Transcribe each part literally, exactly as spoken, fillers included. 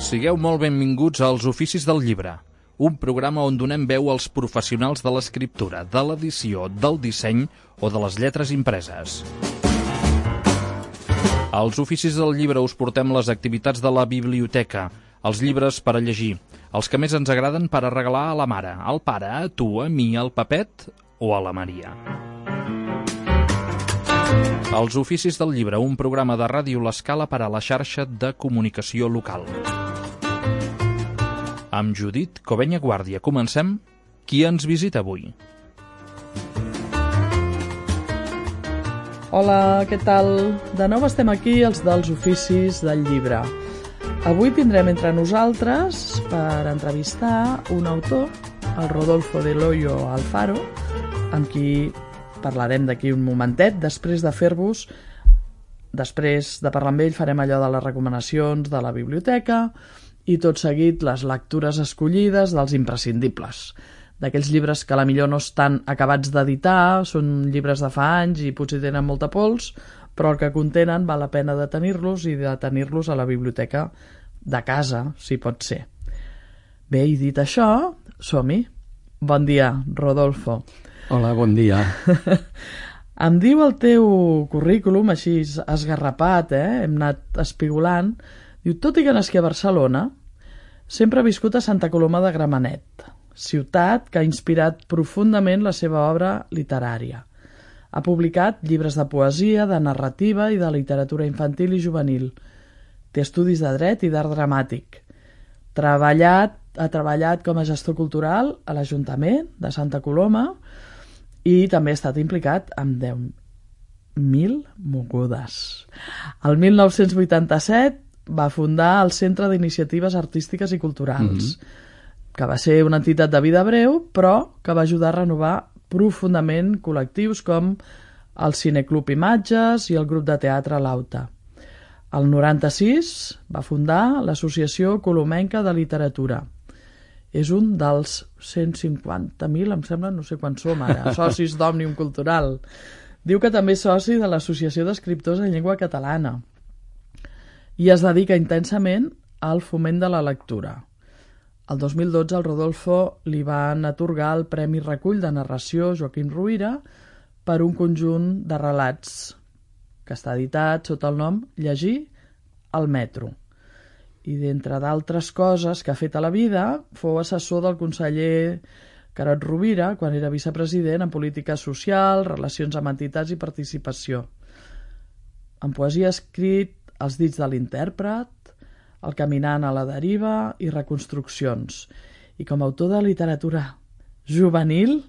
Sigueu molt benvinguts als Oficis del Llibre, un programa on donem veu als professionals de l'escriptura, de l'edició, del disseny o de les lletres impreses. Als Oficis del Llibre us portem les activitats de la biblioteca, els llibres per a llegir, els que més ens agraden per a regalar a la mare, al pare, a tu, a mi, al Pepet o a la Maria. Els Oficis del Llibre, un programa de Ràdio L'Escala per a la xarxa de comunicació local. Amb Judit Covenya Guàrdia comencem. Qui ens visita avui? Hola, què tal? De nou estem aquí, els dels Oficis del Llibre. Avui tindrem entre nosaltres per entrevistar un autor, el Rodolfo del Hoyo Alfaro, amb qui parlarem d'aquí un momentet, després de fer-vos, després de parlar amb ell farem allò de les recomanacions de la biblioteca i tot seguit les lectures escollides dels imprescindibles, d'aquells llibres que a la millor no estan acabats d'editar, són llibres de fa anys i potser tenen molta pols, però el que contenen val la pena de tenir-los i de tenir-los a la biblioteca de casa, si pot ser. Bé, i dit això, som-hi. Bon dia, Rodolfo. Hola, bon dia. Em diu el teu currículum, així esgarrapat, eh? Hem anat espigolant. Diu, tot i que nasqui a Barcelona, sempre ha viscut a Santa Coloma de Gramenet, ciutat que ha inspirat profundament la seva obra literària. Ha publicat llibres de poesia, de narrativa i de literatura infantil i juvenil. Té estudis de dret i d'art dramàtic. Treballat, ha treballat com a gestor cultural a l'Ajuntament de Santa Coloma i també ha estat implicat amb deu mil mogudes. El mil nou-cents vuitanta-set va fundar el Centre d'Iniciatives Artístiques i Culturals, mm-hmm. que va ser una entitat de vida breu, però que va ajudar a renovar profundament col·lectius com el Cineclub Imatges i el grup de teatre L'Auta. El noranta-sis va fundar l'Associació Colomenca de Literatura. És un dels cent cinquanta mil, em sembla, no sé quants som ara, socis d'Òmnium Cultural. Diu que també és soci de l'Associació d'Escriptors en Llengua Catalana i es dedica intensament al foment de la lectura. El dos mil dotze al Rodolfo li van atorgar el Premi Recull de Narració Joaquim Ruyra per un conjunt de relats que està editat sota el nom Llegir al metro. I d'entre d'altres coses que ha fet a la vida, fou assessor del conseller Carod Rovira quan era vicepresident en política social, relacions amb entitats i participació. En poesia ha escrit Els dits de l'intèrpret, El caminant a la deriva i Reconstruccions. I com a autor de literatura juvenil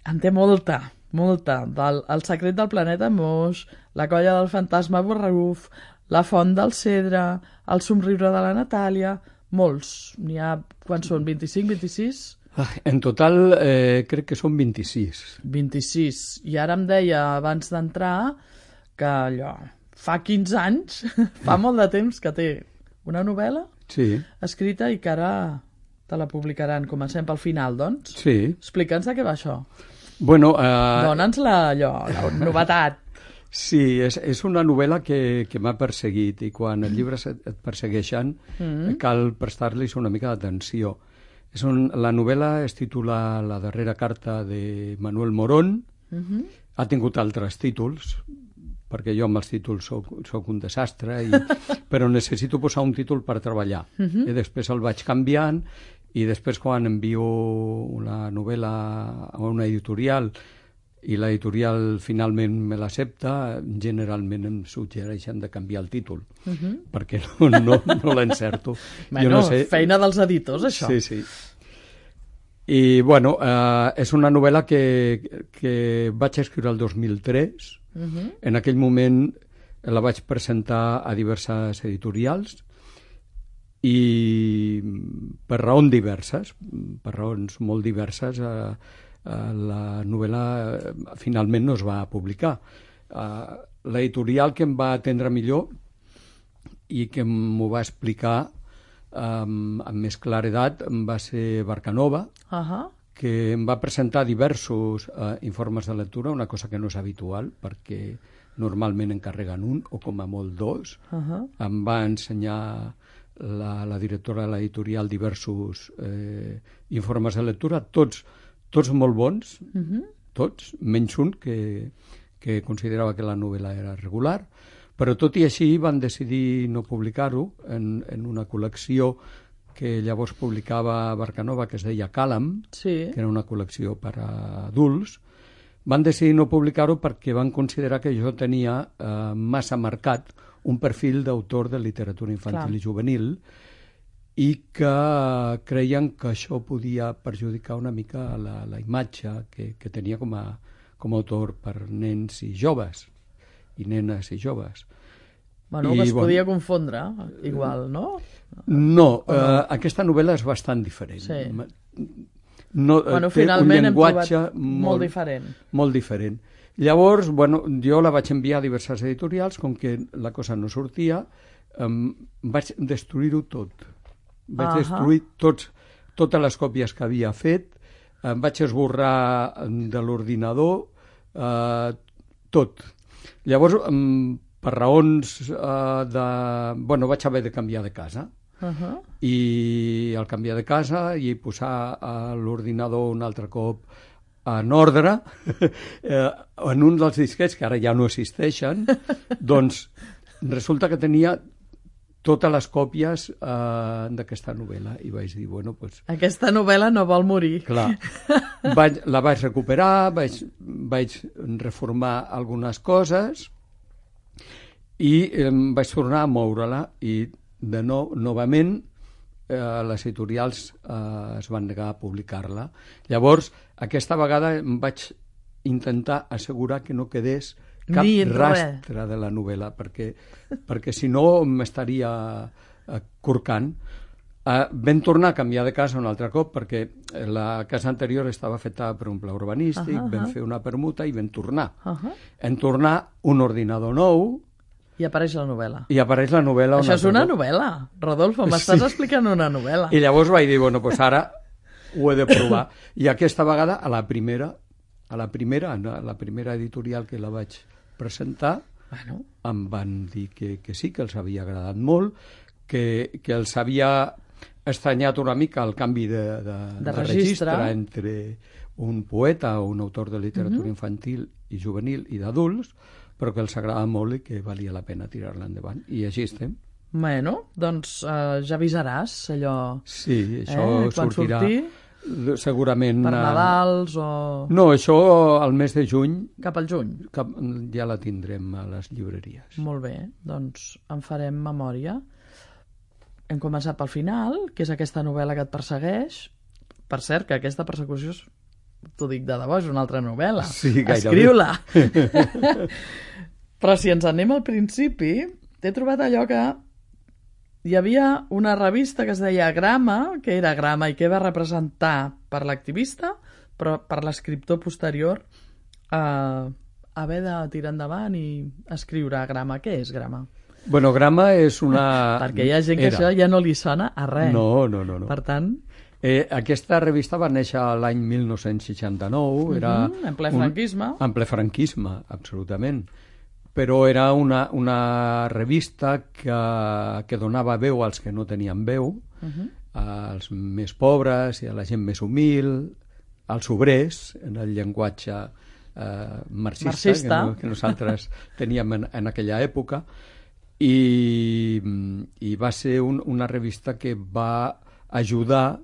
en té molta, molta. Del, El secret del planeta Moix, La colla del fantasma Borraguf, La font del cedre, El somriure de la Natàlia, molts. N'hi ha, quants són, vint-i-cinc, vint-i-sis? En total eh, crec que són vint-i-sis. vint-i-sis. I ara em deia, abans d'entrar, que allò... Fa quinze anys, fa molt de temps que té una novel·la sí. escrita i que ara te la publicaran. Comencem pel final, doncs. Sí. Explica'ns de què va això. Bueno, uh... Dóna'ns la, allò, la novetat. Sí, és, és una novel·la que, que m'ha perseguit i quan els llibres et, et persegueixen mm-hmm. cal prestar-los una mica d'atenció. És un, la novel·la es titula La darrera carta de Manuel Morón. Mm-hmm. Ha tingut altres títols, perquè jo amb els títols soc, soc un desastre, i, però necessito posar un títol per treballar. Uh-huh. I després el vaig canviant, i després quan envio una novel·la a una editorial i l'editorial finalment me l'accepta, generalment em suggereixen de canviar el títol, uh-huh. perquè no, no, no l'encerto. Bueno, no sé... feina dels editors, això. Sí, sí. I, bueno, eh, és una novel·la que, que vaig escriure el dos mil tres. Uh-huh. En aquell moment la vaig presentar a diverses editorials i per raons diverses, per raons molt diverses, eh, eh, la novel·la eh, finalment no es va publicar. Eh, l'editorial que em va atendre millor i que m'ho va explicar eh, amb més claredat va ser Barcanova, uh-huh. que em va presentar diversos eh, informes de lectura, una cosa que no és habitual, perquè normalment encarreguen un, o com a molt dos. Uh-huh. Em va ensenyar la, la directora de l'editorial diversos eh, informes de lectura, tots, tots molt bons, uh-huh. tots, menys un que, que considerava que la novel·la era regular, però tot i així van decidir no publicar-ho en, en una col·lecció que llavors publicava Barcanova, que es deia Càlam, sí. que era una col·lecció per a adults. Van decidir no publicar-ho perquè van considerar que jo tenia eh, massa marcat un perfil d'autor de literatura infantil Clar. I juvenil i que creien que això podia perjudicar una mica la, la imatge que, que tenia com a, com a autor per nens i joves, i nenes i joves. Bueno, I, que es bueno, podia confondre, igual, no? No, no? Eh, aquesta novel·la és bastant diferent. Sí. No, bueno, té un llenguatge molt, molt diferent. Molt diferent. Llavors, bueno, jo la vaig enviar a diverses editorials, com que la cosa no sortia, um, vaig destruir-ho tot. Vaig uh -huh. destruir tots, totes les còpies que havia fet, em vaig esborrar de l'ordinador, eh, tot. Llavors, um, per raons eh, de... Bueno, vaig haver de canviar de casa. Uh-huh. I al canviar de casa i posar a l'ordinador un altre cop en ordre, eh, en un dels disquets que ara ja no existeixen, doncs resulta que tenia totes les còpies eh, d'aquesta novel·la i vaig dir, bueno, doncs... Aquesta novel·la no vol morir. Clar, vaig, la vaig recuperar, vaig, vaig reformar algunes coses i eh, vaig tornar a moure-la i de nou, novament eh, les editorials eh, es van negar a publicar-la. Llavors, aquesta vegada em vaig intentar assegurar que no quedés cap Ni rastre res. de la novel·la, perquè, perquè si no m'estaria eh, corcant. Eh, vam tornar a canviar de casa un altre cop, perquè la casa anterior estava feta per un pla urbanístic, uh -huh, vam uh -huh. fer una permuta i vam tornar. Uh -huh. Vam tornar un ordinador nou, i apareix la novel·la. I apareix la novel·la. Això és una novel·la, Rodolfo, m'estàs sí. explicant una novel·la. I llavors vaig dir, bueno, doncs ara ho he de provar. I aquesta vegada, a la primera, a la primera, a la primera editorial que la vaig presentar, bueno. em van dir que, que sí, que els havia agradat molt, que, que els havia estranyat una mica el canvi de, de, de, de registre. registre entre un poeta o un autor de literatura uh-huh. infantil i juvenil i d'adults, però que els agrada molt i que valia la pena tirar-la endavant. I així estem. Bueno, doncs uh, ja avisaràs allò... Sí, això eh, sortirà sortir, segurament... Per Nadals o... No, això al mes de juny... Cap al juny? Cap, ja la tindrem a les llibreries. Molt bé, doncs en farem memòria. Hem començat pel final, que és aquesta novel·la que et persegueix. Per cert, que aquesta persecució és... T'ho dic de debò, és una altra novel·la. Sí, gairebé. Escriu-la. Però si ens anem al principi, t'he trobat allò que hi havia una revista que es deia Grama, que era Grama i que va representar per l'activista, però per l'escriptor posterior eh, haver de tirar endavant i escriure Grama. Què és Grama? Bueno, Grama és una... Perquè hi ha gent que era. Això ja no li sona a res. No, no, no. no. Per tant... Eh, aquesta revista va néixer l'any mil nou-cents seixanta-nou, era... Uh-huh, en ple franquisme. Un, en ple franquisme, absolutament. Però era una, una revista que, que donava veu als que no tenien veu, uh-huh. als més pobres i a la gent més humil, als obrers, en el llenguatge eh, marxista, marxista. Que, no, que nosaltres teníem en, en aquella època, i, i va ser un, una revista que va ajudar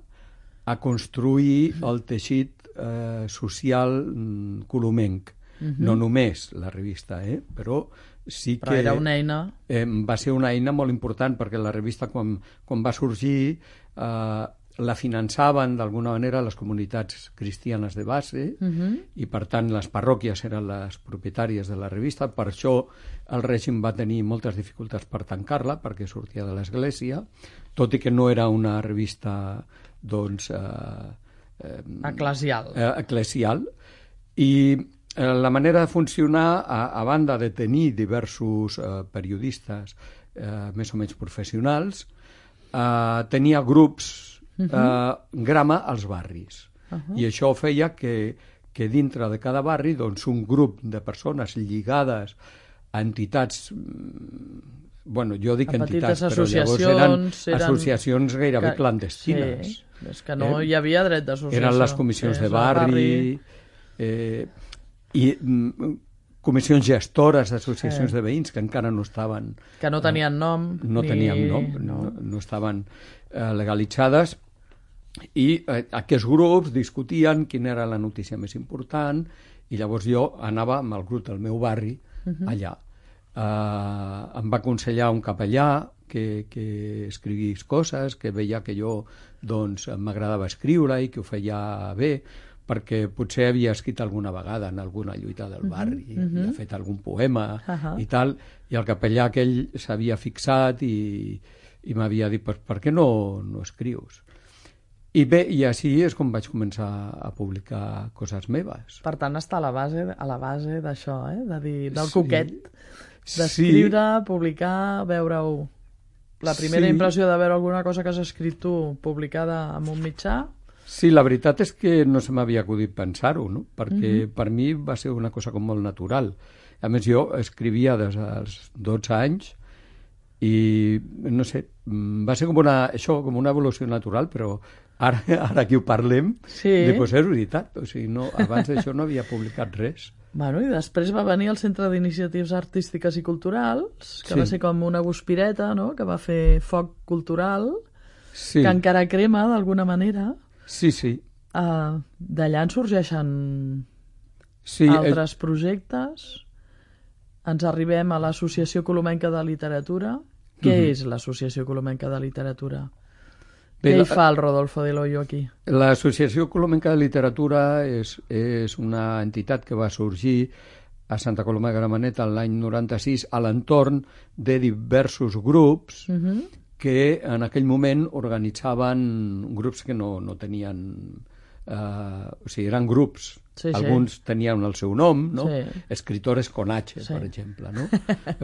a construir el teixit eh, social mm, colomenc. Uh-huh. No només la revista, eh? però sí que... Però era una eina... Eh, va ser una eina molt important, perquè la revista, quan, quan va sorgir, eh, la finançaven d'alguna manera les comunitats cristianes de base, uh-huh. i per tant les parròquies eren les propietàries de la revista. Per això el règim va tenir moltes dificultats per tancar-la, perquè sortia de l'església, tot i que no era una revista doncs eh, eh, eclesial. Eh, eclesial. I eh, la manera de funcionar, a, a banda de tenir diversos eh, periodistes eh, més o menys professionals, eh, tenia grups eh, uh-huh. grama als barris. Uh-huh. I això feia que, que dintre de cada barri doncs, un grup de persones lligades a entitats bueno, jo dic a entitats, petites però llavors eren, associacions, eren associacions gairebé que- clandestines. Sí, és que no hi havia dret d'associació. Eren les comissions És de el barri, eh, i mm, comissions gestores d'associacions Sí. de veïns que encara no estaven... que no tenien nom. no ni... teníem nom, no, no estaven eh, legalitzades, i eh, aquests grups discutien quina era la notícia més important, i llavors jo anava amb el grup del meu barri allà. Eh, em va aconsellar un capellà que, que escrivís coses, que veia que jo doncs, m'agradava escriure i que ho feia bé, perquè potser havia escrit alguna vegada en alguna lluita del barri, uh -huh. havia fet algun poema uh -huh. i tal, i el capellà aquell s'havia fixat i, i m'havia dit, per, per què no, no escrius? I bé, i així és com vaig començar a publicar coses meves. Per tant, està a la base, a la base d'això, eh? de dir, del Sí. coquet, d'escriure, sí. publicar, veure-ho. La primera Sí. impressió de veure alguna cosa que has escrit tu publicada en un mitjà. Sí, la veritat és que no se m'havia acudit pensar-ho, no? Perquè Mhm. per mi va ser una cosa com molt natural. A més, jo escrivia des dels dotze anys i, no sé, mm, va ser com una, això, com una evolució natural, però ara, ara que ho parlem, Sí. doncs és veritat. O sigui, no, abans d'això no havia publicat res. Bueno, i després va venir el Centre d'Iniciatives Artístiques i Culturals, que Sí. va ser com una guspireta, no?, que va fer foc cultural, Sí, que encara crema d'alguna manera. sí, sí. Uh, D'allà en sorgeixen sí altres projectes. Ens arribem a l'Associació Colomenca de Literatura. Què Mhm. és l'Associació Colomenca de Literatura? Bé, Què la- hi fa el Rodolfo de Loyo aquí? L'Associació Colomenca de Literatura és, és una entitat que va sorgir a Santa Coloma de Gramenet l'any noranta-sis a l'entorn de diversos grups Uh -huh. que en aquell moment organitzaven grups que no, no tenien... Eh, o sigui, eren grups. Sí, sí. Alguns tenien el seu nom, no? Sí. Escritores con H, Sí. per exemple, no?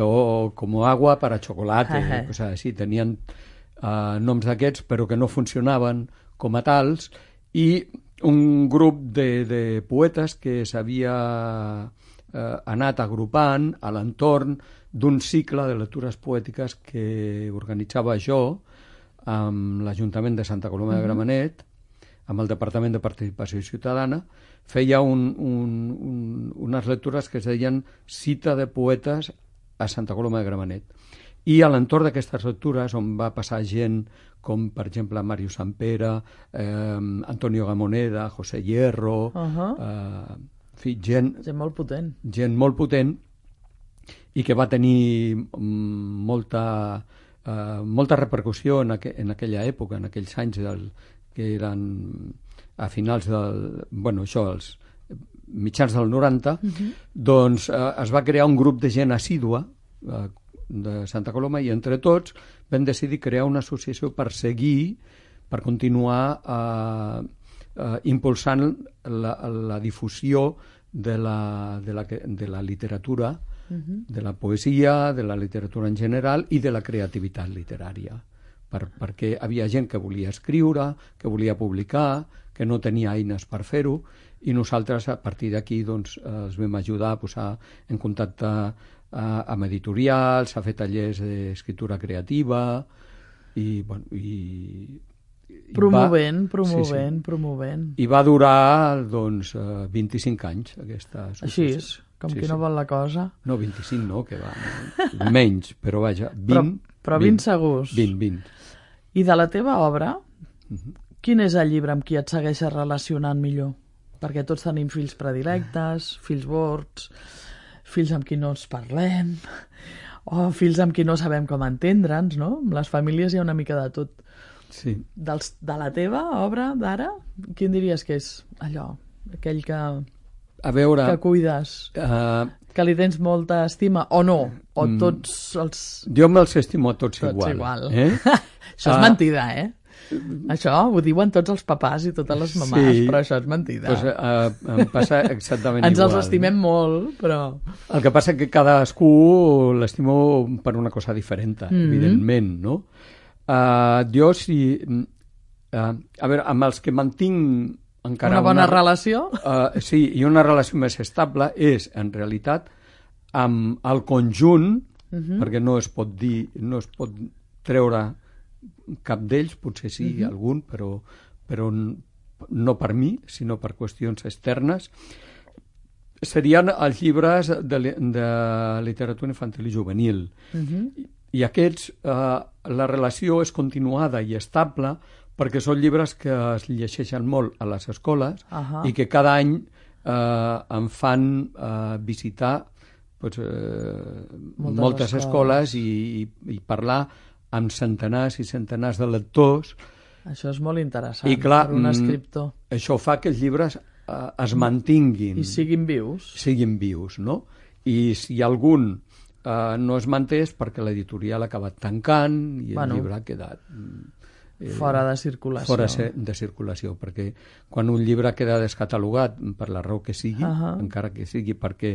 O como agua para chocolate, Ajá. coses així. Tenien eh, noms d'aquests, però que no funcionaven com a tals, i un grup de, de poetes que s'havia eh, anat agrupant a l'entorn d'un cicle de lectures poètiques que organitzava jo amb l'Ajuntament de Santa Coloma de Gramenet, amb el Departament de Participació Ciutadana, feia un, un, un, unes lectures que es deien Cita de Poetes a Santa Coloma de Gramenet. I a l'entorn d'aquestes lectures, on va passar gent com, per exemple, Màrius Sampere, eh, Antonio Gamoneda, José Hierro, Uh -huh. eh, en fi, gent, Gent molt potent. gent molt potent i que va tenir mm, molta, eh, molta repercussió en, aqu en aquella època, en aquells anys del, que eren a finals del... bueno, això, els mitjans del noranta, uh -huh. doncs eh, es va crear un grup de gent assídua eh, de Santa Coloma, i entre tots vam decidir crear una associació per seguir, per continuar eh, eh, impulsant la, la difusió de la, de la, de la literatura, uh-huh. de la poesia, de la literatura en general i de la creativitat literària, per, perquè havia gent que volia escriure, que volia publicar, que no tenia eines per fer-ho, i nosaltres a partir d'aquí doncs, els vam ajudar a posar en contacte a, amb editorials, a fer tallers d'escriptura creativa i, bueno, i, i Promovent, va, promovent, sí, sí. promovent. I va durar doncs, vint-i-cinc anys aquesta Així associació. és, com Sí, qui no sí. vol la cosa. No, vint-i-cinc no, que va, no. Menys, però vaja, vint. Però, però vint segurs. vint, vint. I de la teva obra, Uh-huh. quin és el llibre amb qui et segueixes relacionant millor? Perquè tots tenim fills predilectes, fills bords, fills amb qui no ens parlem, o fills amb qui no sabem com entendre'ns, no? Amb les famílies hi ha una mica de tot. Sí. Dels, de la teva obra d'ara, quin diries que és allò, aquell que, A veure... que cuides, Uh, que li tens molta estima, o no? O Mm. tots els... jo me'ls estimo a tots, Tots igual. igual. Eh? Això és Ah. mentida, eh? Això ho diuen tots els papàs i totes les mamàs, Sí. però això és mentida. Pues, uh, em passa exactament Ens igual. els estimem molt, però... El que passa que cadascú l'estimo per una cosa diferent, Mhm. evidentment, no? Uh, jo, si... Uh, a veure, amb els que mantinc encara Una bona relació? Uh, sí, i una relació més estable és, en realitat, amb el conjunt uh-huh. perquè no es pot dir, no es pot treure cap d'ells, potser sí uh-huh. algun, però, però no per mi, sinó per qüestions externes. Serien els llibres de, de literatura infantil i juvenil. Uh-huh. I aquests, eh, la relació és continuada i estable perquè són llibres que es llegeixen molt a les escoles uh-huh. i que cada any eh, em fan eh, visitar pues, eh, moltes, moltes escoles, escoles i, i, i parlar amb centenars i centenars de lectors. Això és molt interessant I, clar, per un escriptor. Això fa que els llibres eh, es mantinguin. I siguin vius. Siguin vius, no? I si algun Uh, no es manté és perquè l'editorial ha acabat tancant i bueno, el llibre ha quedat eh, fora de circulació. Fora de circulació, perquè quan un llibre queda descatalogat per la raó que sigui, uh-huh. encara que sigui perquè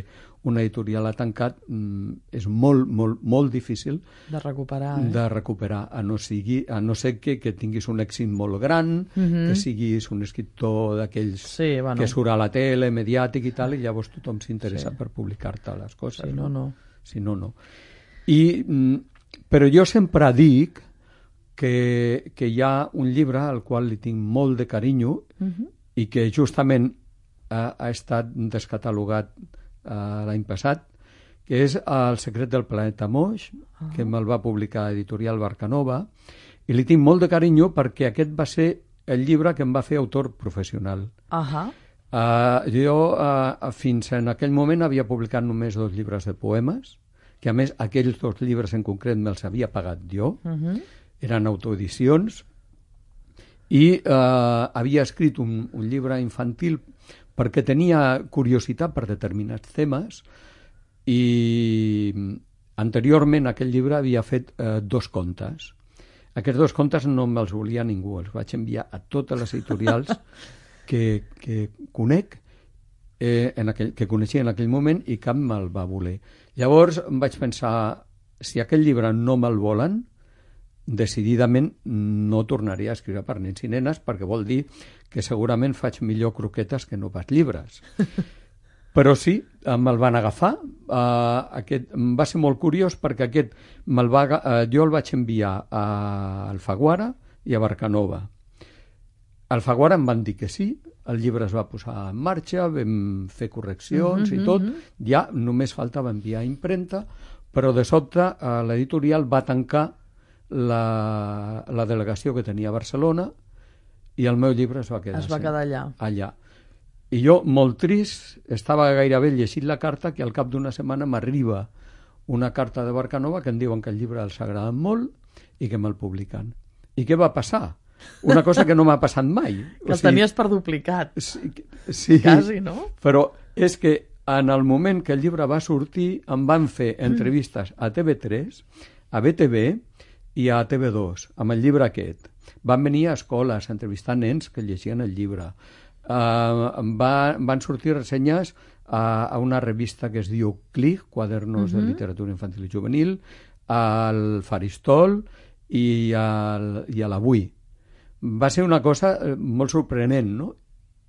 una editorial ha tancat, mm, és molt, molt, molt difícil de recuperar, eh? de recuperar a no, sigui, a no ser que, que tinguis un èxit molt gran, uh-huh. que siguis un escriptor d'aquells sí, bueno. que surt a la tele, mediàtic i tal, i llavors tothom s'interessa sí. per publicar-te les coses. Sí, no, no. Si no, no. I, però jo sempre dic que, que hi ha un llibre al qual li tinc molt de carinyo uh-huh. i que justament ha, ha estat descatalogat uh, l'any passat, que és El secret del planeta Moix, uh-huh. que me'l va publicar Editorial Barcanova, i li tinc molt de carinyo perquè aquest va ser el llibre que em va fer autor professional. Uh-huh. Uh, jo uh, fins en aquell moment havia publicat només dos llibres de poemes, que a més aquells dos llibres en concret me'ls havia pagat jo, uh-huh. eren autoedicions, i uh, havia escrit un, un llibre infantil perquè tenia curiositat per determinats temes, i anteriorment aquell llibre havia fet uh, dos contes. Aquests dos contes no me'ls volia ningú, els vaig enviar a totes les editorials que, que conec, eh, en aquell, que coneixia en aquell moment, i cap me'l va voler. Llavors em vaig pensar, si aquell llibre no me'l volen, decididament no tornaria a escriure per nens i nenes, perquè vol dir que segurament faig millor croquetes que no pas llibres. Però sí, me'l van agafar. Uh, aquest, va ser molt curiós perquè aquest me'l va, uh, jo el vaig enviar a Alfaguara i a Barcanova. Alfaguara em van dir que sí, el llibre es va posar en marxa, vam fer correccions uh-huh, i tot, uh-huh. ja només faltava enviar a impremta, però de sobte uh, l'editorial va tancar la, la delegació que tenia a Barcelona i el meu llibre es va quedar, es va quedar allà. allà. I jo, molt trist, estava gairebé llegint la carta, que al cap d'una setmana m'arriba una carta de Barcanova que em diuen que el llibre els agrada molt i que me'l publiquen. I què va passar? Una cosa que no m'ha passat mai. Que el tenies per duplicat. Sí, sí, quasi, no? Però és que en el moment que el llibre va sortir em van fer entrevistes a T V tres, a B T V i a T V dos, amb el llibre aquest. Van venir a escoles a entrevistar nens que llegien el llibre. Uh, va, van sortir ressenyes a, a una revista que es diu Clic, Quadernos uh-huh. de Literatura Infantil i Juvenil, al Faristol i, al, i a l'Avui. Va ser una cosa molt sorprenent, no?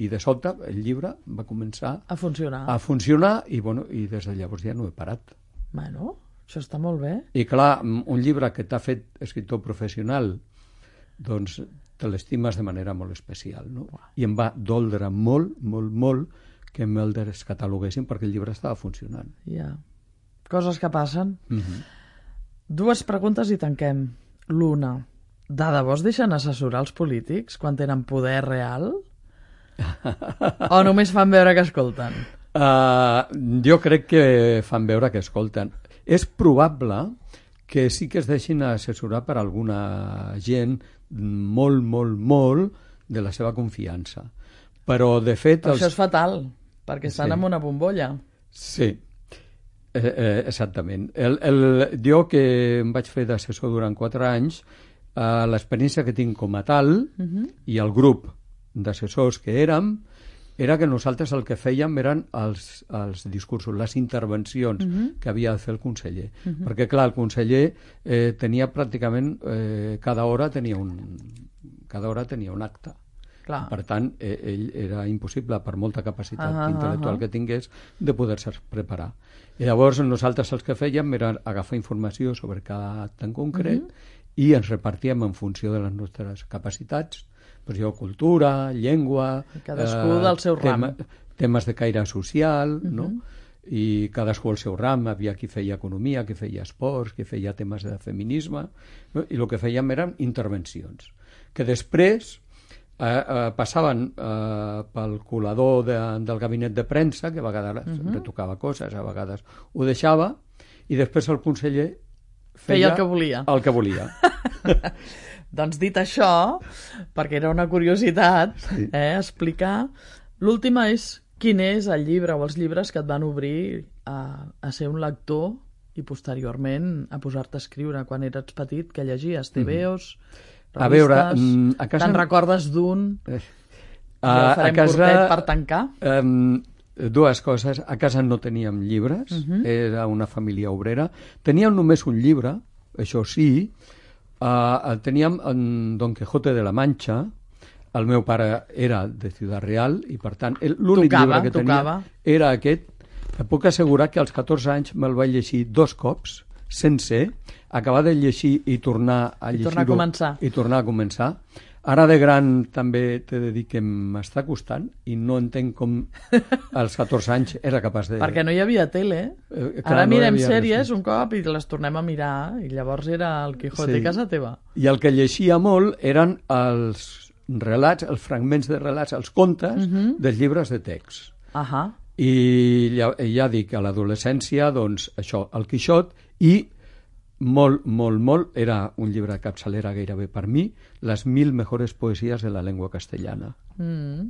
I de sobte el llibre va començar a funcionar, a funcionar i, bueno, i des de llavors ja no he parat. Bueno, això està molt bé. I clar, un llibre que t'ha fet escriptor professional, doncs te l'estimes de manera molt especial, no? I em va doldre molt, molt, molt que me'l descataloguessin perquè el llibre estava funcionant. Ja. Coses que passen. Uh-huh. Dues preguntes i tanquem. L'una, de debò es deixen assessorar els polítics quan tenen poder real? O només fan veure que escolten? Uh, jo crec que fan veure que escolten. És probable que sí que es deixin assessorar per alguna gent molt, molt, molt de la seva confiança. Però, de fet... Els... Això és fatal, perquè estan sí. en una bombolla. Sí, eh, eh, exactament. El, el, jo, que em vaig fer d'assessor durant quatre anys, eh, l'experiència que tinc com a tal, uh-huh. i el grup d'assessors que érem, era que nosaltres el que fèiem eren els, els discursos, les intervencions uh-huh. que havia de fer el conseller. Uh-huh. Perquè, clar, el conseller eh, tenia pràcticament... Eh, cada hora tenia un cada hora tenia un acte. Clar. Per tant, eh, ell era impossible, per molta capacitat Ah, ah, intel·lectual ah. que tingués, de poder-se preparar. I llavors nosaltres el que fèiem era agafar informació sobre cada acte en concret mm-hmm. i ens repartíem en funció de les nostres capacitats, doncs jo, cultura, llengua... Cadascú del seu ram. Temes de caire social, mm-hmm. no? I cadascú el seu ram, havia qui feia economia, qui feia esports, qui feia temes de feminisme, no? I el que fèiem eren intervencions, que després eh, eh, passaven eh, pel colador de, del gabinet de premsa, que a vegades uh-huh. retocava coses, a vegades ho deixava, i després el conseller feia, feia el que volia. El que volia. Doncs dit això, perquè era una curiositat, sí. eh, explicar, l'última és quin és el llibre o els llibres que et van obrir a, a ser un lector i posteriorment a posar-te a escriure quan eres petit, que llegies T V Os, revistes... A veure, a casa... Te'n recordes d'un? Eh, a, ja farem a casa, curtet per tancar. Um, dues coses. A casa no teníem llibres, uh-huh. era una família obrera. Teníem només un llibre, això sí. Uh, teníem en Don Quijote de la Mancha. El meu pare era de Ciudad Real i, per tant, l'únic llibre que tenia tocava. era aquest. Em puc assegurar que als catorze anys me'l vaig llegir dos cops, sencer, acabar de llegir i tornar a I llegir-ho. tornar a començar. I tornar a començar. Ara de gran també t'he de dir que m'està costant i no entenc com als catorze anys era capaç de... Perquè no hi havia tele. Eh, clar, Ara no mirem havia sèries res. un cop i les tornem a mirar i llavors era el Quijote Sí. a casa teva. I el que llegia molt eren els relats, els fragments de relats, els contes Mhm. dels llibres de text. Ahà. I ja, ja dic, a l'adolescència, doncs, això, el Quixot, i molt, molt, molt, era un llibre de capçalera gairebé per mi, les mil mejores poesies de la llengua castellana. Mm.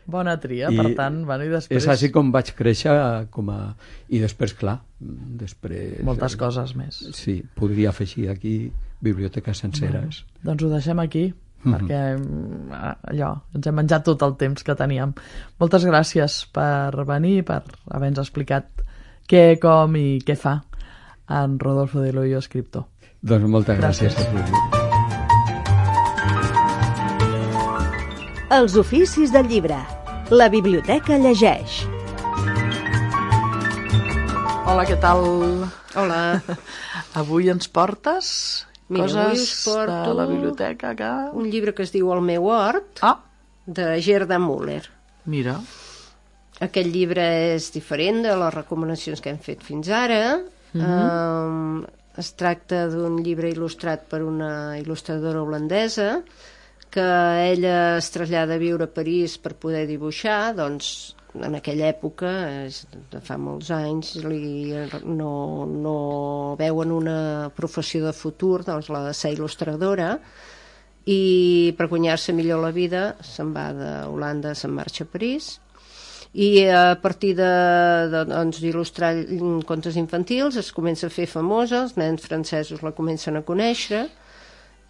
Bona tria, I per tant, bueno, i després... És així com vaig créixer com a... I després, clar, després... Moltes coses més. Sí, podria afegir aquí biblioteques senceres. Bueno, doncs ho deixem aquí, Mhm. perquè mm, allò, ens hem menjat tot el temps que teníem. Moltes gràcies per venir, per haver-nos explicat què, com i què fa en Rodolfo de Loyo, escriptor. Doncs moltes gràcies, Gràcies. a tu. Els oficis del llibre. La biblioteca llegeix. Hola, què tal? Hola. Avui ens portes Mira, coses avui us porto de la biblioteca que... un llibre que es diu El meu hort, Ah, de Gerda Müller. mira. Aquest llibre és diferent de les recomanacions que hem fet fins ara. Mhm. um, es tracta d'un llibre il·lustrat per una il·lustradora holandesa que ella es trasllada a viure a París per poder dibuixar. Doncs en aquella època, és de fa molts anys, li, no, no veuen una professió de futur, doncs la de ser il·lustradora, i per guanyar-se millor la vida se'n va d'Holanda, se'n marxa a París, i a partir de, de, doncs, d'il·lustrar contes infantils es comença a fer famosa, els nens francesos la comencen a conèixer,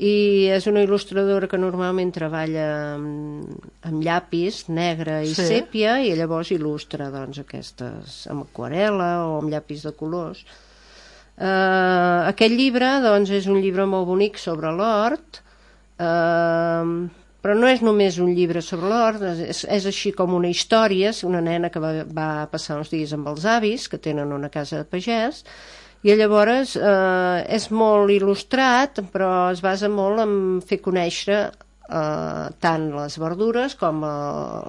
i és una il·lustradora que normalment treballa amb, amb llapis negre i Sí. sèpia, i llavors il·lustra doncs, aquestes amb aquarel·la o amb llapis de colors. Uh, aquest llibre doncs, és un llibre molt bonic sobre l'hort, uh, però no és només un llibre sobre l'hort, és, és així com una història. És una nena que va, va passar uns dies amb els avis, que tenen una casa de pagès, i llavors eh, és molt il·lustrat, però es basa molt en fer conèixer eh, tant les verdures com eh,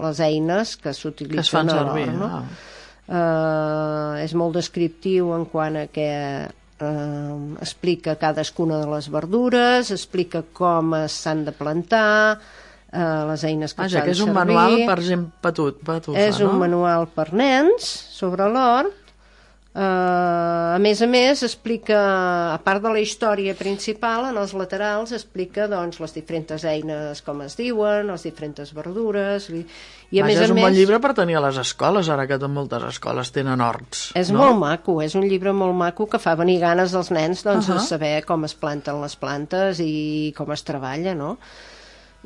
les eines que Que es s'utilitzen fan a servir. l'hort, no? Ah. Eh, és molt descriptiu en quant a que eh, explica cadascuna de les verdures, explica com s'han de plantar, eh, les eines que Vaja, fan que és un servir. manual per gent petut, petufa, És un no? manual per nens sobre l'hort. Uh, a més a més explica, a part de la història principal, en els laterals explica doncs, les diferents eines, com es diuen, les diferents verdures, i, i a Vaja, més a és un més bon llibre per tenir a les escoles, ara que moltes escoles tenen horts. és no? molt maco, és un llibre molt maco que fa venir ganes dels nens doncs, Uh-huh. de saber com es planten les plantes i com es treballa, no?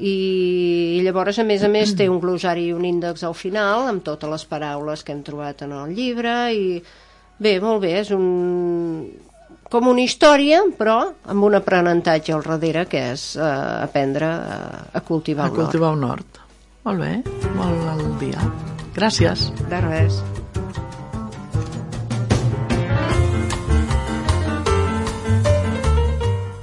I, i llavors, a més a més, té un glosari i un índex al final amb totes les paraules que hem trobat en el llibre, i bé, molt bé, és un... com una història, però amb un aprenentatge al darrere, que és eh, aprendre a, a cultivar A un hort. cultivar un hort. Molt bé, molt al dia. Gràcies. De res.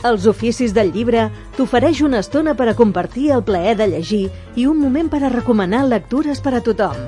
Els oficis del llibre t'ofereix una estona per a compartir el plaer de llegir i un moment per a recomanar lectures per a tothom.